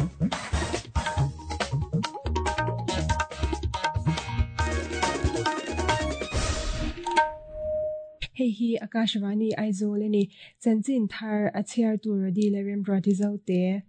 Hei hi Akashvani Aizawl a ni. Chanchin thar a chhiartu Rody leh Remruati Zote.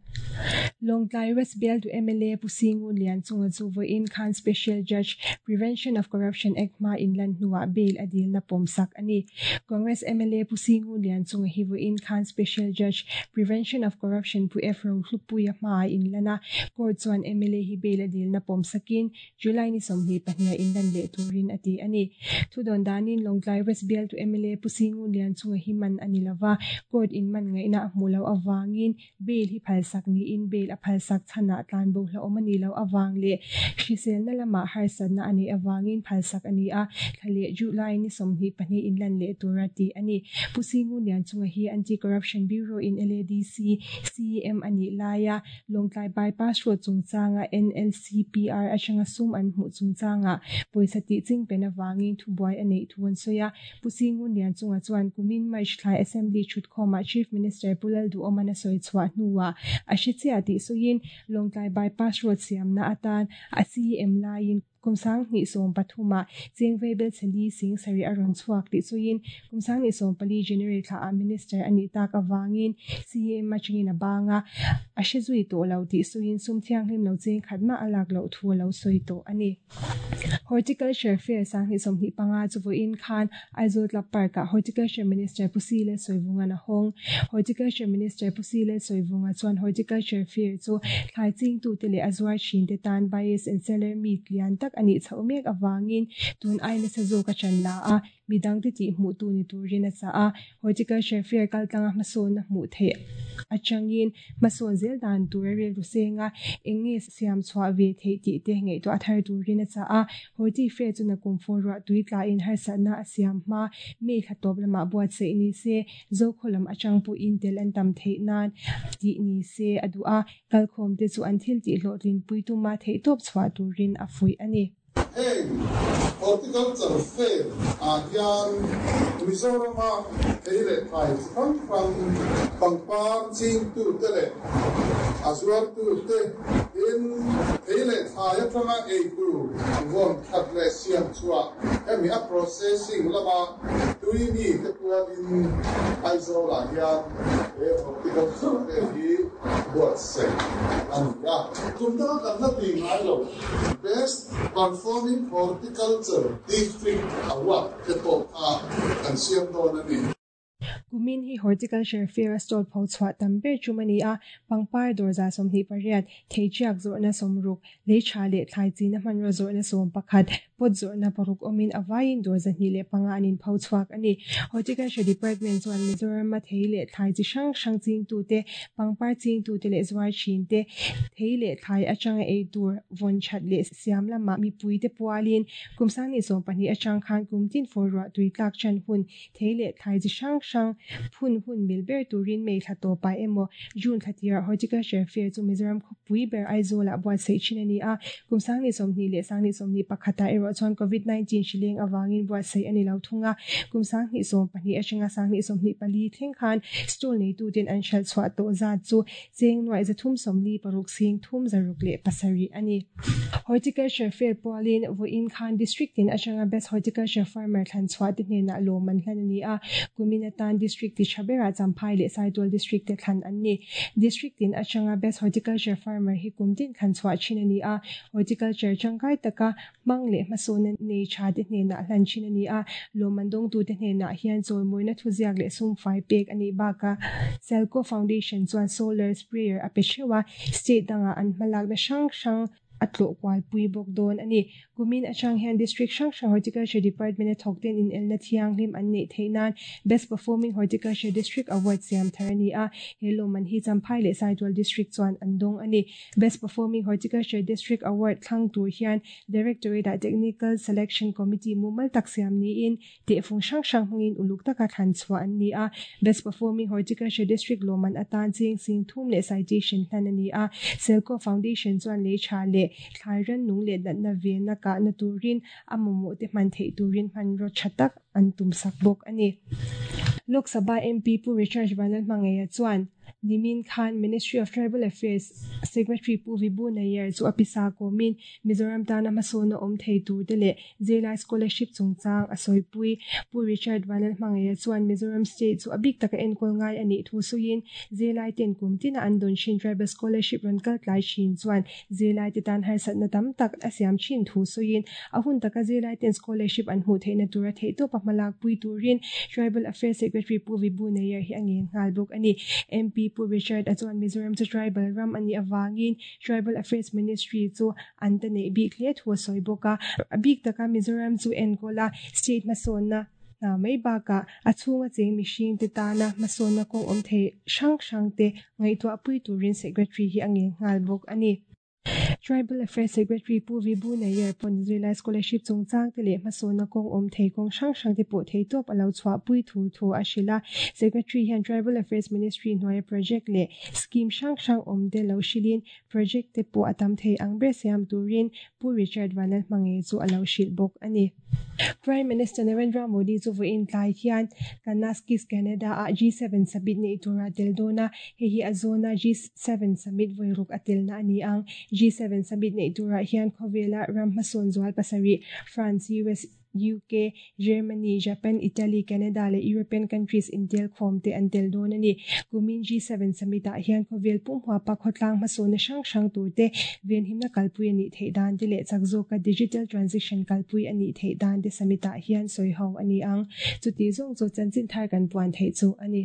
Lawngtlai West bialtu mla Pu Singun Lianchunga chu vawiin khan Special Judge, Prevention of Corruption Act hma inlan hnuah bail a dilna pawmsak a ni. Congress mla Pu Singun Lianchunga hi vawiin khan Special Judge, Prevention of Corruption Pu F Rohlupuia hmaah inlan a, court chuan mla hi bail a dilna pawmsakin July ni 22 ah inlan leh turin a ti a ni. Thudawn danin Lawngtlai West bialtu mla Pu Singun Lianchunga hi man a ni lova, court in man ngaihna a hmuh loh avangin bail hi phalsak niin bail a phalsak chhanah tlanbo hlauhawm a nih loh avang leh hriselna lamah harsatna a neih avangin phalsak a ni a, thla leh July ni 22 inlan leh tura tih a ni. Pu Singun Lianchunga hi Anti-Corruption Bureau in LADC CEM a nih laia Lawngtlai Bypass Road chungchanga NLCPR atanga sum an hmuh chungchangah pawisa tih ching pen avangin thubuai a neih thu an sawi a. Pu Singun Lianchunga chuan kumin March thlai Assembly thutkhawmah Chief Minister Pu Lalduhawman a sawi chhuah hnuah a hre chiah tih sawiin Lawngtlai Bypass Road siamna atan a CM laiin Kum 2013 ah cheng veibel chali sing sarih a rawn chhuak tih sawiin kum 2014 January thla ah Minister a nih tak avangin CM atangin a bang a, a hre zui tawh lo tih sawiin sum thianghlim lo cheng khat mah a lak loh thu a lo sawi tawh a ni. Horticulture Fair 2025 chu vawiin khan Aizawl Club Park ah Horticulture Minister Pu Si Lalsawivunga'n a hawng. Horticulture Minister Pu Si Lalsawivunga chuan Horticulture Fair chu thlai chingtute leh a zuar thinte tan Buyers and Seller Meet lian tak a nih chhoh mek avangin tun ai nasa zawk a chan la a, midangte tih hmuhtu ni turin a chah a. Horticulture Fair kaltlanga hmasawnna hmuh theih atangin hmasawn zel dan tur a rilru seng a, eng nge siam chhuah ve theih tih te ngaihtuah thar turin a chah a. Horti Fair chu nakum fur ruah tui tlain harsatna a siam hma, May thla tawp lamah buatsaih ni se, Zokhaw lam atang pawhin tel an tam theih nan tih ni se a duh a, kalkhawmte chu an thil tih hlawhtlinpui tuma theihtawp chhuah turin a fuih a ni. Heng Horticulture Fair ah hian Mizorama thei leh thlai chi hrang hrang, pangpar chingtute leh a zuartute tin thei leh thlai atanga eitur vawn that leh siam chhuah hemi a processing lama tui mite pualin Aizawl ah hian he Horticulture Fair hi buatsaih a ni a. Tum danga kan la tih ngai lo. Best Performing Horticulture District Award te pawh kha kan siam dawn a ni. Kumin hi Horticulture Fair a stall pho chhuah tam ber tum a ni a, pangpar dawr 28, theiṭiak zawrhna 60, lei tha leh thlai china hmanraw zawrhna 11, pot zawrhna paruk awmin a vaiin dawr 205 an inpho chhuak a ni. Horticulture Department chuan Mizorama thei leh thlai chi hrang hrang chingtute, pangpar chingtute leh zuar thinte, thei leh thlai atanga ei tur vawn that leh siam lamah mipuite pualin kum 2012 atang khan kum tin fur ruah tui tlak chan hun thei leh thlai chi hrang hrang phun hun mil ber turin May thla tawpah emaw June thla tirah Horticulture Fair chu Mizoram khawpui ber Aizawlah buatsaih thin a ni a, kum 2020 leh 2021 ah erawh chuan Covid-19 hri leng avangin buatsaih a ni lo thung a, kum 2012 atanga 2024 thleng khan stall neituten an hralh chhuah tawh zat chu cheng nuaih 346 sing thum 607 a ni. Horticulture Fair pualin vawiin khan District tin atanga Best Horticulture Farmer thlan chhuah te hnenah lawm an hlan a ni a, kumin atan District ti tha berah Champhai leh Saitual District te thlan an ni. District tin atanga Best Horticulture Farmer hi kum tin thlan chhuah thin a ni a, Horticulture tangkai taka hmang leh hmasawnna nei tha te hnenah hlan thin a ni a, lawmman dawngtute hnenah hian chawimawina thuziak leh sumfai pek a nih bakah Selco Foundation chuan Solar Sprayer a pe theuh a, State dangah an hmalakna hrang hrang a tlawh kualpui bawk dawn a ni. Kumin atang hian District hrang hrang Horticulture Department a thawkten inelna thianghlim an neih theih nan Best Performing Horticulture District Award siam thar a ni a, he lawmman hi Champhai leh Saitual District chuan an dawng a ni. Best Performing Horticulture District Award thlang tur hian Directorate ah Technical Selection Committee mumal tak siam niin tehfung hrang hrang hmangin uluk taka thlan chhuah an ni a. Best Performing Horticulture District lawmman atan cheng sing thum leh citation hlan a ni a. Selco Foundation chuan lei tha leh thlai rannung leh natna venna kahna turin a mamawh te hman theih turin hmanraw tha tak an tum sak bawk a ni. Lok Sabha MP Pu Richard Vanlalhmangaia chuan. Nimin khan Ministry of Tribal Affairs Secretary Pu Vibhu Nayar chu a pisa kawmin Mizoram tana hmasawnna awm thei tur te leh zirlai scholarship chungchang a sawipui. Pu Richard Vanlalhmangaia chuan Mizoram State chu a bik taka enkawl ngai a nih thu sawiin zirlai ten kum tina an dawn thin Tribal Scholarship rawn kal tlai thin chuan zirlai te tan harsatna tam tak a siam thin thu sawiin a hun taka zirlai ten scholarship an hmuh theihna tura theihtawpa hmalakpui turin Tribal Affairs Secretary Pu Vibhu Nayar hi a ngen nghal bawk a ni. MP Pu Richard a chuan Mizoram chu Tribal ram a nih avangin Tribal Affairs Ministry chu an ta neih bik hle thu a sawi bawk a. A bik taka Mizoram chu enkawl a, state hmasawnna hna mai bakah a chhunga cheng mihringte tana hmasawnna kawng awm thei hrang hrangte ngaihtuahpui turin Secretary hi a ngen nghal bawk a ni. Tribal Affairs Secretary Pu Vibhu Nayar pawn zirlai scholarship chungchang te leh hmasawnna kawng awm thei kawng hrang hrang te pawh theitawp a lo chhuahpui thu thu a hrilh a. Secretary hian Tribal Affairs Ministry hnuaia project leh scheme hrang hrang awm te lo hrilhin project te pawh a tam thei ang ber siam turin Pu Richard Vanlalhmangaih chu a lo hrilh bawk a ni. Prime Minister Narendra Modi chu vawiin tlai hian Kananaskis Canada ah G7 Summit neih tura tel dawn a, hei hi a zawna G7 Summit vawiruk a telna a ni ang. G7 Summit neih turah hian khawvela ram hmasawn zual pasarih, France, US, UK, Germany, Japan, Italy, Canada leh European countries intel khawm te an tel dawn a ni. Kumin G7 Summit ah hian khawvel pumhuapa khawtlang hmasawnna hrang hrang tur te, venhimna kalpui a nih theih dan te leh chak zawka digital transition kalpui a nih theih dan te summit ah hian sawi ho a ni ang. Chuti zawng chu chanchin thar kan puan theih chu a ni.